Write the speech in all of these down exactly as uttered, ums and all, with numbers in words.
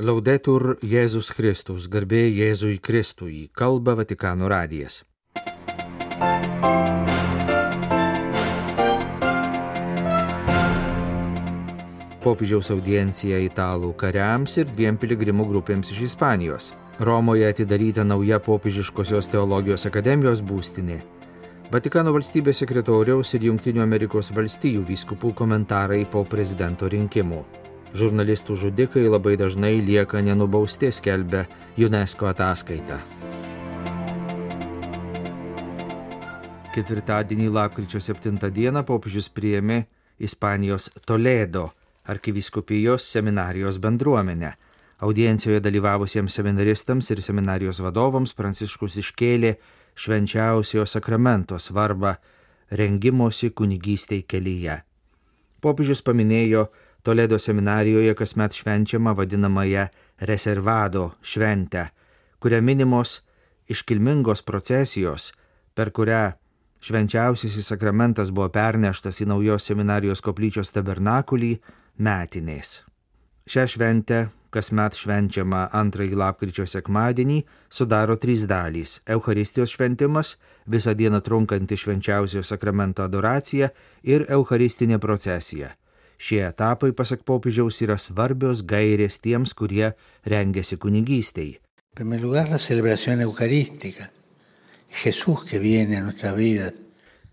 Laudetur Jėzus Kristus, garbė Jėzui Kristui, kalba Vatikano radijas. Popiežiaus audiencija italų kariams ir dviem piligrimų grupėms iš Ispanijos. Romoje atidaryta nauja popiežiškosios teologijos akademijos būstinė. Vatikano valstybės sekretoriaus ir Jungtinių Amerikos valstijų vyskupų komentarai po prezidento rinkimų. Žurnalistų žudikai labai dažnai lieka nenubausti, skelbia UNESCO ataskaita. Ketvirtadienį lapkričio septintą dieną popiežius priėmė Ispanijos Toledo arkivyskupijos seminarijos bendruomenę. Audiencijoje dalyvavusiems seminaristams ir seminarijos vadovams Pranciškus iškėlė švenčiausiojo sakramento svarbą rengimosi kunigystei kelyje. Popiežius paminėjo Toledo seminarijoje kasmet švenčiama vadinamąją Reservado šventę, kuria minimos iškilmingos procesijos, per kurią švenčiausiasis sakramentas buvo perneštas į naujos seminarijos koplyčios tabernakulį metinės. Šią šventę, kasmet švenčiama antrąjį lapkričio sekmadienį, sudaro trys dalys – Eucharistijos šventimas, visą dieną trunkanti švenčiausiojo sakramento adoracija ir eucharistinė procesija. Šie etapai, pasak popiežiaus, yra svarbios gairės tiems, kurie rengiasi kunigystei.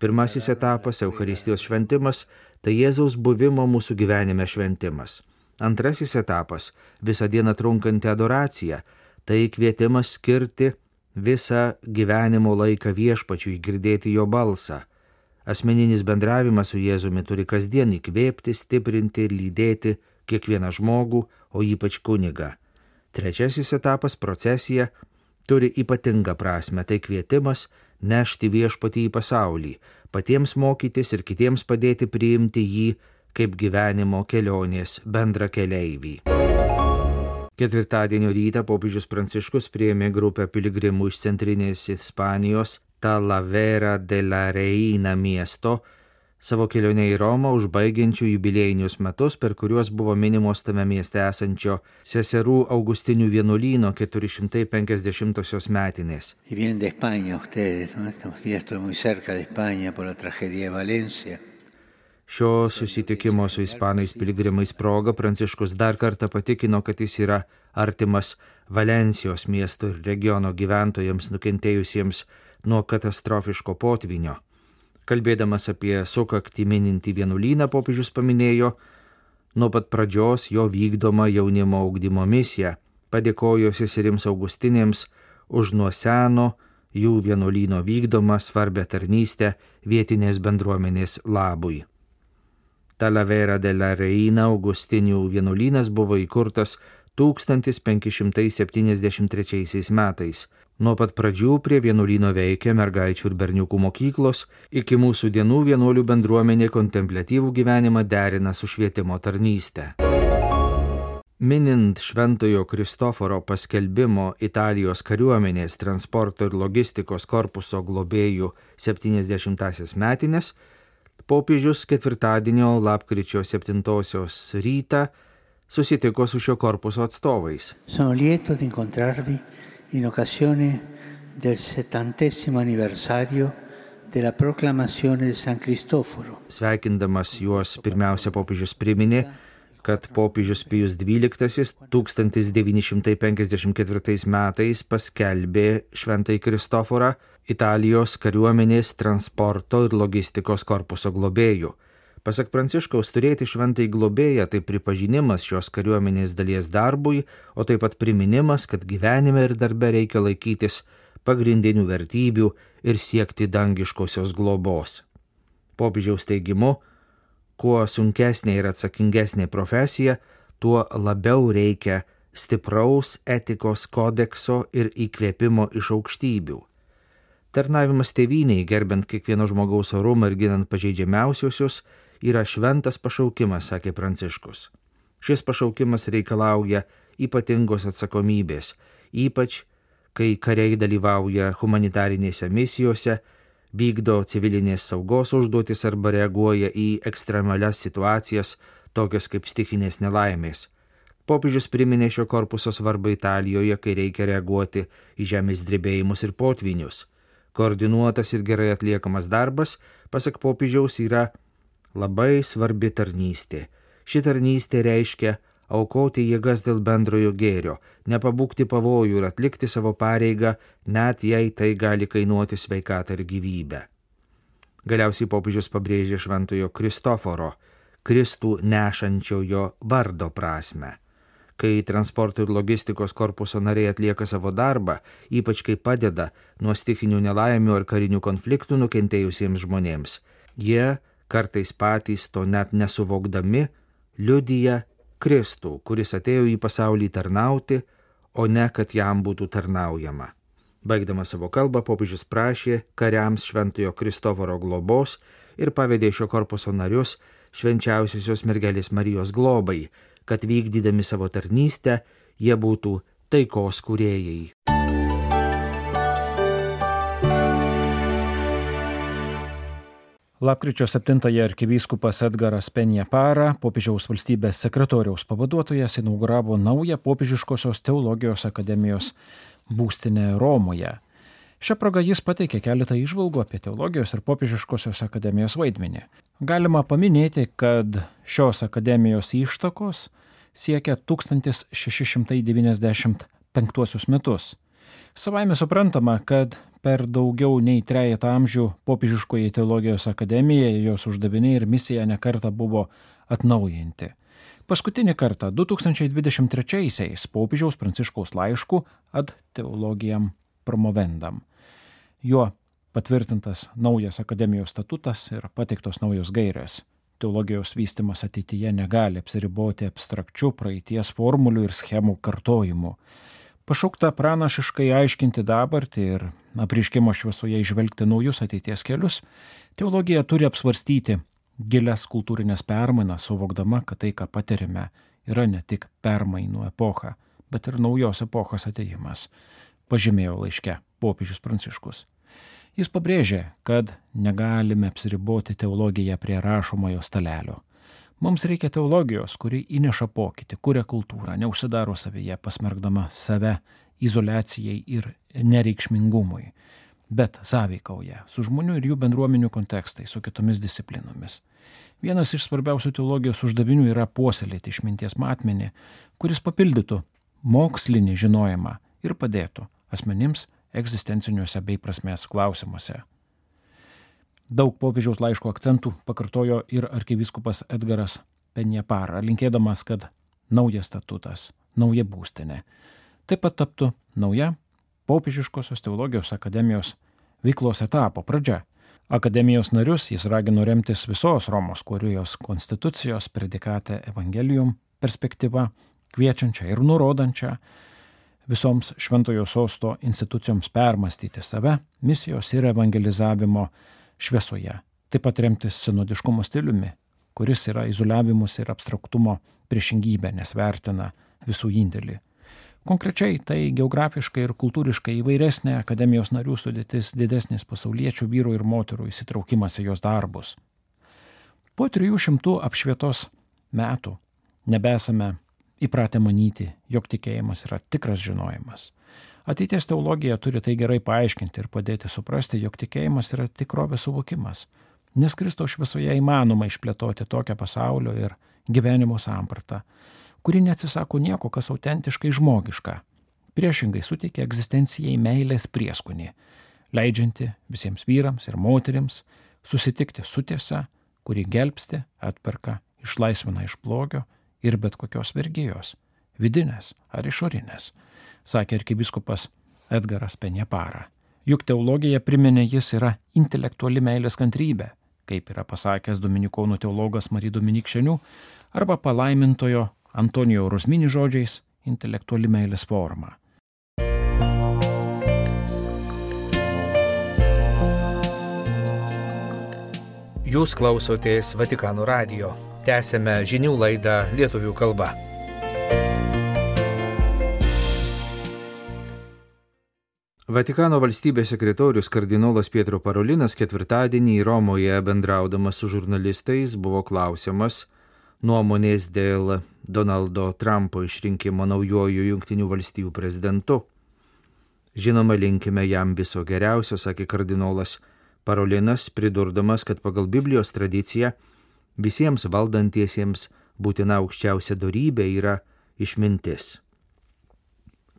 Pirmasis etapas – Eucharistijos šventimas – tai Jėzaus buvimo mūsų gyvenime šventimas. Antrasis etapas – visą dieną trunkanti adoracija – tai kvietimas skirti visą gyvenimo laiką Viešpačiui, girdėti jo balsą. Asmeninis bendravimas su Jėzumi turi kasdien įkvėpti, stiprinti ir lydėti kiekvieną žmogų, o ypač kunigą. Trečiasis etapas – procesija – turi ypatingą prasme, tai kvietimas nešti Viešpatį į pasaulį, patiems mokytis ir kitiems padėti priimti jį kaip gyvenimo kelionės bendra keleivį. Ketvirtadienio rytą popiežius Pranciškus priėmė grupę piligrimų iš centrinės Ispanijos Talavera de la Reina miesto, savo kelionę į Romą užbaigiančių jubiliejinius metus, per kuriuos buvo minimos tame mieste esančio seserų Augustinių vienuolyno keturi šimtai penkiasdešimtosios metinės. Šio susitikimo su ispanais piligrimais proga Pranciškus dar kartą patikino, kad jis yra artimas Valensijos miesto ir regiono gyventojams nukentėjusiems nuo katastrofiško potvynio. Kalbėdamas apie sukaktį minintį vienuolyną, popiežius paminėjo nuo pat pradžios jo vykdomą jaunimo ugdymo misiją, padėkojo seserims Augustinėms už nuo seno jų vienuolyno vykdomą svarbią tarnystę vietinės bendruomenės labui. Talavera de la Reina Augustinių vienuolynas buvo įkurtas tūkstantis penki šimtai septyniasdešimt trečiaisiais metais. Nuo pat pradžių prie vienuolyno veikia mergaičių ir berniukų mokyklos, iki mūsų dienų vienuolių bendruomenė kontempliatyvų gyvenimą derina su švietimo tarnyste. Minint Šventojo Kristoforo paskelbimo Italijos kariuomenės transporto ir logistikos korpuso globėjų septyniasdešimtąsias metines, popiežius ketvirtadienio lapkričio septintosios rytą susitiko su šio korpuso atstovais. Sono lieto di incontrarvi in occasione del settantesimo anniversario della proclamazione di San Cristoforo. Sveikindamas juos pirmiausia popiežius priminė, kad popiežius Pijus dvyliktasis tūkstantis devyni šimtai penkiasdešimt ketvirtais metais paskelbė Šventąjį Kristoforą Italijos kariuomenės transporto ir logistikos korpuso globėjų. Pasak Pranciškaus, turėti šventąjį globėją tai pripažinimas šios kariuomenės dalies darbui, o taip pat priminimas, kad gyvenime ir darbe reikia laikytis pagrindinių vertybių ir siekti dangiškosios globos. Popiežiaus teigimu, kuo sunkesnė ir atsakingesnė profesija, tuo labiau reikia stipraus etikos kodekso ir įkvėpimo iš aukštybių. Tarnavimas tėvynei, gerbent kiekvieno žmogaus orumą ir ginant pažeidžiamiausiusius, yra šventas pašaukimas, sakė Pranciškus. Šis pašaukimas reikalauja ypatingos atsakomybės, ypač kai kariai dalyvauja humanitarinėse misijose, vykdo civilinės saugos užduotis arba reaguoja į ekstremalias situacijas, tokias kaip stichinės nelaimės. Popiežius priminė šio korpuso svarbą Italijoje, kai reikia reaguoti į žemės drebėjimus ir potvinius. Koordinuotas ir gerai atliekamas darbas, pasak popiežiaus, yra labai svarbi tarnystė. Ši tarnystė reiškia aukoti jėgas dėl bendrojo gėrio, nepabūgti pavojų ir atlikti savo pareigą, net jei tai gali kainuoti sveikatą ir gyvybę. Galiausiai popiežius pabrėžė šventojo Kristoforo, Kristų nešančiojo vardo prasme. Kai transporto ir logistikos korpuso nariai atlieka savo darbą, ypač kai padeda nuo stichinių nelaimių ar karinių konfliktų nukentėjusiems žmonėms, jie, kartais patys to net nesuvokdami, liudija Kristų, kuris atėjo į pasaulį tarnauti, o ne kad jam būtų tarnaujama. Baigdamas savo kalbą, popiežius prašė kariams šventojo Kristoforo globos ir pavedė šio korpuso narius švenčiausiosios mergelės Marijos globai, kad vykdydami savo tarnystę jie būtų taikos kūrėjai. Lapkričio septintąją arkivyskupas Edgaras Penjapara, popiežiaus valstybės sekretoriaus pavaduotojas, inauguravo naują popiežiškosios teologijos akademijos būstinę Romoje. Šią progą jis pateikė keletą įžvalgų apie teologijos ir popiežiškosios akademijos vaidmenį. Galima paminėti, kad šios akademijos ištakos siekia tūkstantis šeši šimtai devyniasdešimt penktuosius metus. Savaime suprantama, kad per daugiau nei trejetą amžių popiežiškoji teologijos akademija, jos uždaviniai ir misija nekartą buvo atnaujinti. Paskutinį kartą du tūkstančiai dvidešimt trečiaisiais popiežiaus Pranciškaus laišku Ad Theologiam Promovendam. Juo patvirtintas naujas akademijos statutas ir pateiktos naujos gairės. Teologijos vystymas ateityje negali apsiriboti abstrakčių praeities formulių ir schemų kartojimu. Pašaukta pranašiškai aiškinti dabartį ir apreiškimo šviesoje įžvelgti naujus ateities kelius, teologija turi apsvarstyti gilias kultūrinės permainas, suvokdama, kad tai, ką patirime, yra ne tik permainų epocha, bet ir naujos epochos atėjimas, pažymėjo laiške popiežius Pranciškus. Jis pabrėžė, kad negalime apsiriboti teologiją prie rašomojo stalelio. Mums reikia teologijos, kuri įneša pokytį, kuria kultūrą, neužsidaro savyje, pasmerkdama save izoliacijai ir nereikšmingumui, bet sąveikauja su žmonių ir jų bendruomenių kontekstai, su kitomis disciplinomis. Vienas iš svarbiausių teologijos uždavinių yra puoselėti išminties matmenį, kuris papildytų mokslinį žinojimą ir padėtų asmenims egzistenciniuose bei prasmės klausimuose. Daug popiežiaus laiško akcentų pakartojo ir arkivyskupas Edgaras Penjapara, linkėdamas, kad naujas statutas, nauja būstinė taip pat taptų nauja popiežiškosios teologijos akademijos veiklos etapo pradžia. Akademijos narius jis ragino remtis visos Romos kurijos konstitucijos predikate Evangelium perspektyva, kviečiančia ir nurodančia visoms šventojo sosto institucijoms permastyti save, misijos ir evangelizavimo šviesoje. Taip pat remtis sinodiškumo stiliumi, kuris yra izoliavimus ir abstraktumo priešingybė, nes vertina visų indėlį. Konkrečiai tai geografiškai ir kultūriškai įvairesnė akademijos narių sudėtis, didesnis pasauliečių vyrų ir moterų įsitraukimas į jos darbus. Po trijų šimtų apšvietos metų nebesame įpratę manyti, jog tikėjimas yra tikras žinojimas. Ateities teologija turi tai gerai paaiškinti ir padėti suprasti, jog tikėjimas yra tikrovės suvokimas, nes Kristaus šviesoje įmanoma išplėtoti tokią pasaulio ir gyvenimo sampratą, kuri neatsisako nieko, kas autentiškai žmogiška, priešingai suteikia egzistencijai meilės prieskonį, leidžianti visiems vyrams ir moterims susitikti su tiesa, kuri gelbsti, atperka, išlaisvina iš blogio ir bet kokios vergijos, vidinės ar išorinės, sakė arkivyskupas Edgaras Penjapara. Juk teologija, priminė jis, yra intelektuali meilės kantrybė, kaip yra pasakęs dominikonų teologas Marija Dominikšenių, arba palaimintojo Antonijo Rusmini žodžiais intelektuali meilės forma. Jūs klausotės Vatikano radijo. Tęsėme žinių laidą lietuvių kalba. Vatikano valstybės sekretorius kardinolas Pietro Parolinas ketvirtadienį Romoje bendraudamas su žurnalistais buvo klausiamas, nuomonės dėl Donaldo Trumpo išrinkimo naujoju Jungtinių valstijų prezidentu. Žinoma, linkime jam viso geriausio, sakė kardinolas Parolinas, pridurdamas, kad pagal Biblijos tradiciją visiems valdantiesiems būtina aukščiausia dorybė yra išmintis.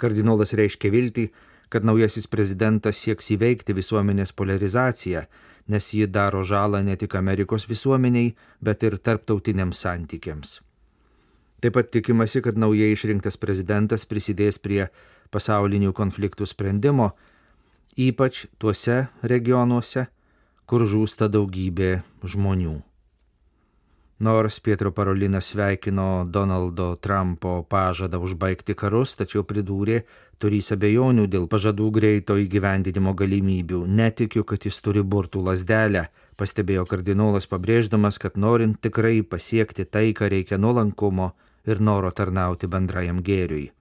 Kardinolas reiškia viltį, kad naujasis prezidentas sieks įveikti visuomenės polarizaciją, nes ji daro žalą ne tik Amerikos visuomeniai, bet ir tarptautiniams santykiams. Taip pat tikimasi, kad naujai išrinktas prezidentas prisidės prie pasaulinių konfliktų sprendimo, ypač tuose regionuose, kur žūsta daugybė žmonių. Nors Pietro Parolinas sveikino Donaldo Trumpo pažadą užbaigti karus, tačiau pridūrė, turys abejonių dėl pažadų greito įgyvendinimo galimybių. Netikiu, kad jis turi burtų lazdelę, pastebėjo kardinolas, pabrėždamas, kad norint tikrai pasiekti taiką reikia nuolankumo ir noro tarnauti bendrajam gėriui.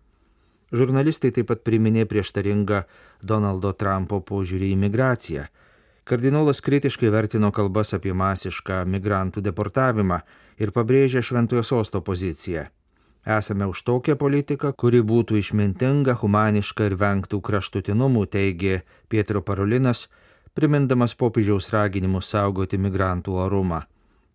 Žurnalistai taip pat priminė prieštaringą Donaldo Trumpo požiūrį į migraciją. Kardinolas kritiškai vertino kalbas apie masišką migrantų deportavimą ir pabrėžė Šventojo Sosto poziciją. Esame už tokią politiką, kuri būtų išmintinga, humaniška ir vengtų kraštutinumų, teigė Pietro Parolinas, primindamas popiežiaus raginimus saugoti migrantų orumą.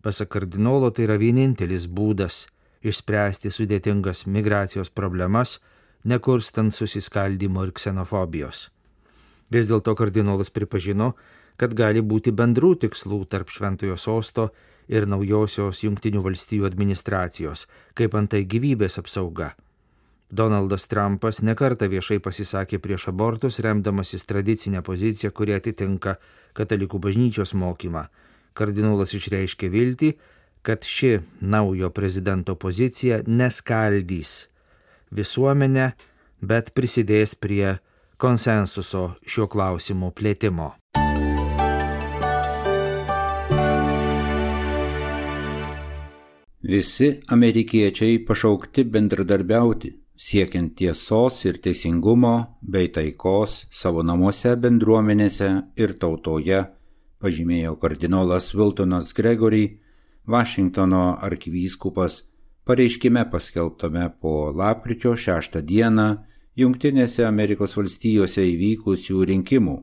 Pasak kardinolo, tai yra vienintelis būdas išspręsti sudėtingas migracijos problemas, nekurstant susiskaldimo ir ksenofobijos. Vis dėlto kardinolas pripažino, kad gali būti bendrų tikslų tarp Šventojo Sosto ir naujosios Jungtinių valstijų administracijos, kaip antai gyvybės apsauga. Donaldas Trumpas nekartą viešai pasisakė prieš abortus, remdamasis tradicinę poziciją, kuri atitinka katalikų bažnyčios mokymą. Kardinolas išreiškė viltį, kad ši naujo prezidento pozicija neskaldys visuomenę, bet prisidės prie konsensuso šiuo klausimu plėtimo. Visi amerikiečiai pašaukti bendradarbiauti, siekiant tiesos ir teisingumo bei taikos savo namuose, bendruomenėse ir tautoje, pažymėjo kardinolas Wiltonas Gregory, Vašingtono arkivyskupas, pareiškime paskelbtame po lapkričio šeštą dieną Jungtinėse Amerikos valstijose įvykusių rinkimų.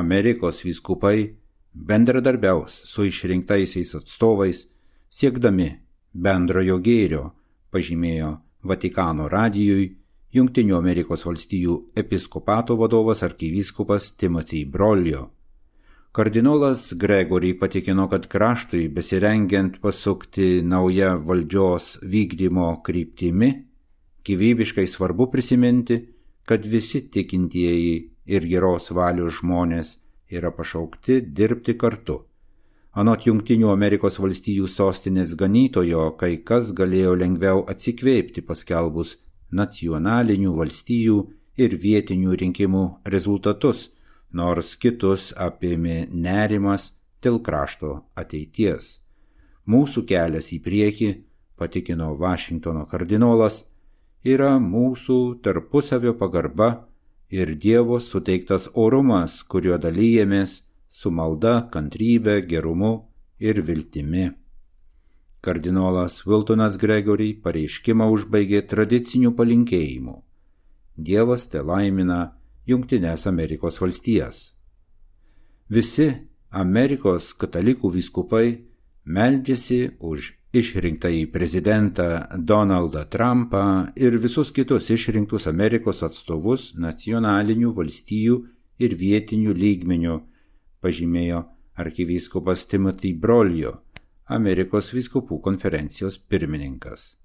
Amerikos vyskupai bendradarbiaus su išrinktaisiais atstovais, siekdami bendrojo gėrio, pažymėjo Vatikano radijui Jungtinių Amerikos valstijų episkopato vadovas arkivyskupas Timothy Broglio. Kardinolas Gregory patikino, kad kraštui besirengiant pasukti naują valdžios vykdymo kryptimi, gyvybiškai svarbu prisiminti, kad visi tikintieji ir geros valios žmonės yra pašaukti dirbti kartu. Anot Jungtinių Amerikos valstijų sostinės ganytojo, kai kas galėjo lengviau atsikvėpti paskelbus nacionalinių valstijų ir vietinių rinkimų rezultatus, nors kitus apėmė nerimas dėl krašto ateities. Mūsų kelias į priekį, patikino Vašingtono kardinolas, yra mūsų tarpusavio pagarba ir Dievo suteiktas orumas, kuriuo dalyjamės su malda, kantrybe, gerumu ir viltimi. Kardinolas Wiltonas Gregory pareiškimą užbaigė tradiciniu palinkėjimu. Dievas te laimina Jungtinės Amerikos valstijas. Visi Amerikos katalikų vyskupai meldžiasi už išrinktąjį prezidentą Donaldą Trumpą ir visus kitus išrinktus Amerikos atstovus nacionalinių valstijų ir vietinių lygmenių, pažymėjo arkivyskupas Timothy Broglio, Amerikos vyskupų konferencijos pirmininkas.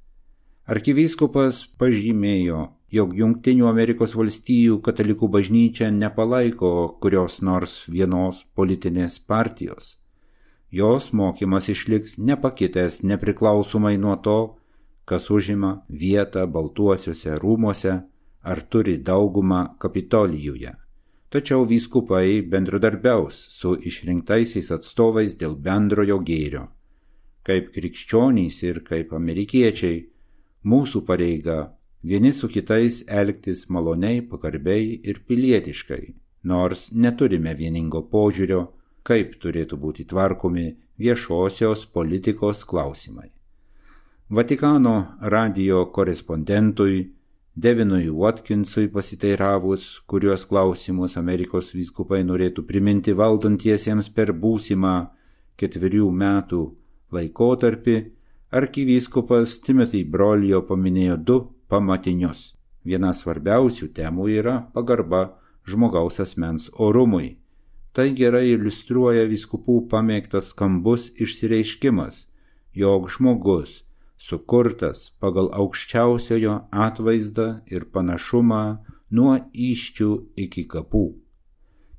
Arkivyskupas pažymėjo, jog Jungtinių Amerikos valstijų katalikų bažnyčia nepalaiko kurios nors vienos politinės partijos. Jos mokymas išliks nepakitęs nepriklausomai nuo to, kas užima vietą Baltuosiuose rūmuose ar turi daugumą Kapitolijuje. Tačiau vyskupai bendradarbiaus su išrinktaisiais atstovais dėl bendrojo gėrio. Kaip krikščionys ir kaip amerikiečiai, mūsų pareiga vieni su kitais elgtis maloniai, pagarbiai ir pilietiškai, nors neturime vieningo požiūrio, kaip turėtų būti tvarkomi viešosios politikos klausimai. Vatikano radijo korespondentui Devinui Watkinsui pasiteiravus, kuriuos klausimus Amerikos vyskupai norėtų priminti valdantiesiems per būsimą ketverių metų laikotarpį, arkivyskupas Timothy Broglio paminėjo du pamatinius. Viena svarbiausių temų yra pagarba žmogaus asmens orumui. Tai gerai iliustruoja vyskupų pamėgtas skambus išsireiškimas, jog žmogus sukurtas pagal aukščiausiojo atvaizdą ir panašumą nuo įsčių iki kapų.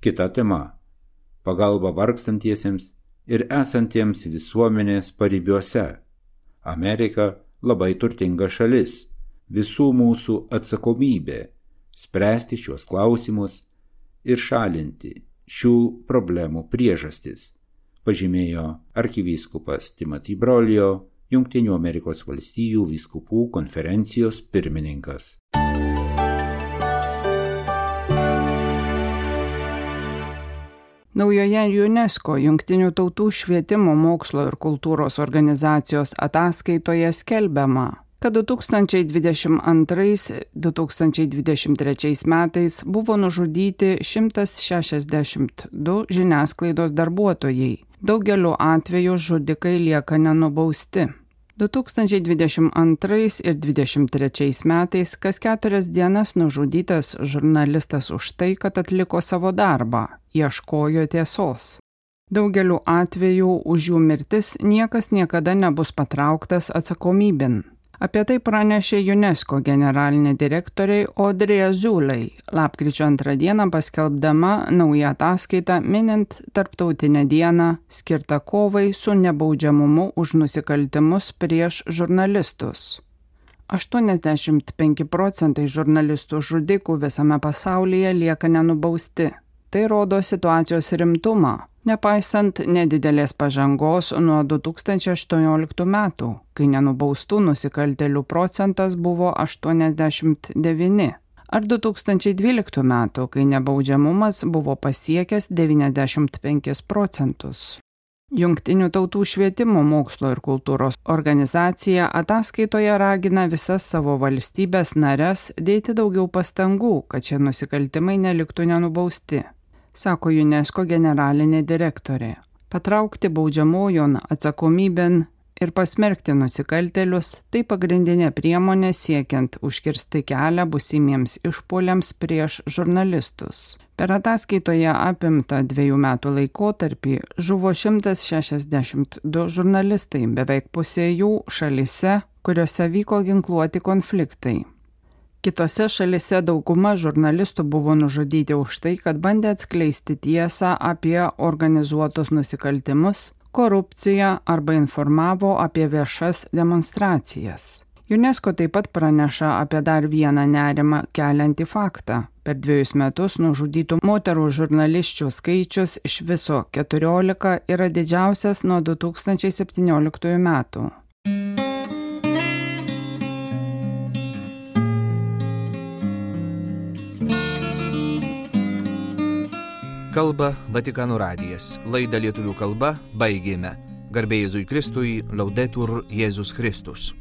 Kita tema – pagalba vargstantiesiems ir esantiems visuomenės paribiuose. Amerika labai turtinga šalis, visų mūsų atsakomybė spręsti šiuos klausimus ir šalinti šių problemų priežastis, pažymėjo arkivyskupas Timothy Broglio, Jungtinių Amerikos valstijų vyskupų konferencijos pirmininkas. Naujoje UNESCO Jungtinių tautų švietimo, mokslo ir kultūros organizacijos ataskaitoje skelbiama, kad du tūkstančiai dvidešimt antrais - du tūkstančiai dvidešimt trečiais metais buvo nužudyti šimtas šešiasdešimt du žiniasklaidos darbuotojai. Daugeliu atveju žudikai lieka nenubausti. du tūkstančiai dvidešimt antrais ir dvidešimt trečiais metais kas keturias dienas nužudytas žurnalistas už tai, kad atliko savo darbą, ieškojo tiesos. Daugeliu atveju už jų mirtis niekas niekada nebus patrauktas atsakomybėn. Apie tai pranešė UNESCO generalinė direktorė Audrey Azoulay, lapkričio antrą dieną paskelbdama naują ataskaitą minint tarptautinę dieną skirtą kovai su nebaudžiamumu už nusikaltimus prieš žurnalistus. aštuoniasdešimt penki procentai žurnalistų žudikų visame pasaulyje lieka nenubausti. Tai rodo situacijos rimtumą, nepaisant nedidelės pažangos nuo du tūkstančiai aštuonioliktų metų, kai nenubaustų nusikaltėlių procentas buvo aštuoniasdešimt devyni, ar du tūkstančiai dvyliktų metų, kai nebaudžiamumas buvo pasiekęs devyniasdešimt penkis procentus. Jungtinių tautų švietimo, mokslo ir kultūros organizacija ataskaitoje ragina visas savo valstybės nares dėti daugiau pastangų, kad šie nusikaltimai neliktų nenubausti, sako UNESCO generalinė direktorė. Patraukti baudžiamojon atsakomybėn ir pasmerkti nusikaltėlius – tai pagrindinė priemonė siekiant užkirsti kelią būsimiems išpuoliams prieš žurnalistus. Per ataskaitoje apimtą dviejų metų laikotarpį žuvo šimtas šešiasdešimt du žurnalistai, beveik pusė jų šalyse, kuriuose vyko ginkluoti konfliktai. Kitose šalyse dauguma žurnalistų buvo nužudyti už tai, kad bandė atskleisti tiesą apie organizuotus nusikaltimus, korupciją arba informavo apie viešas demonstracijas. UNESCO taip pat praneša apie dar vieną nerimą keliantį faktą. Per dviejus metus nužudytų moterų žurnalisčių skaičius iš viso keturiolika yra didžiausias nuo du tūkstančiai septynioliktųjų metų. Kalba Vatikano radijas. Laidą lietuvių kalba baigėme. Garbė Jėzui Kristui, Laudetur Jėzus Kristus.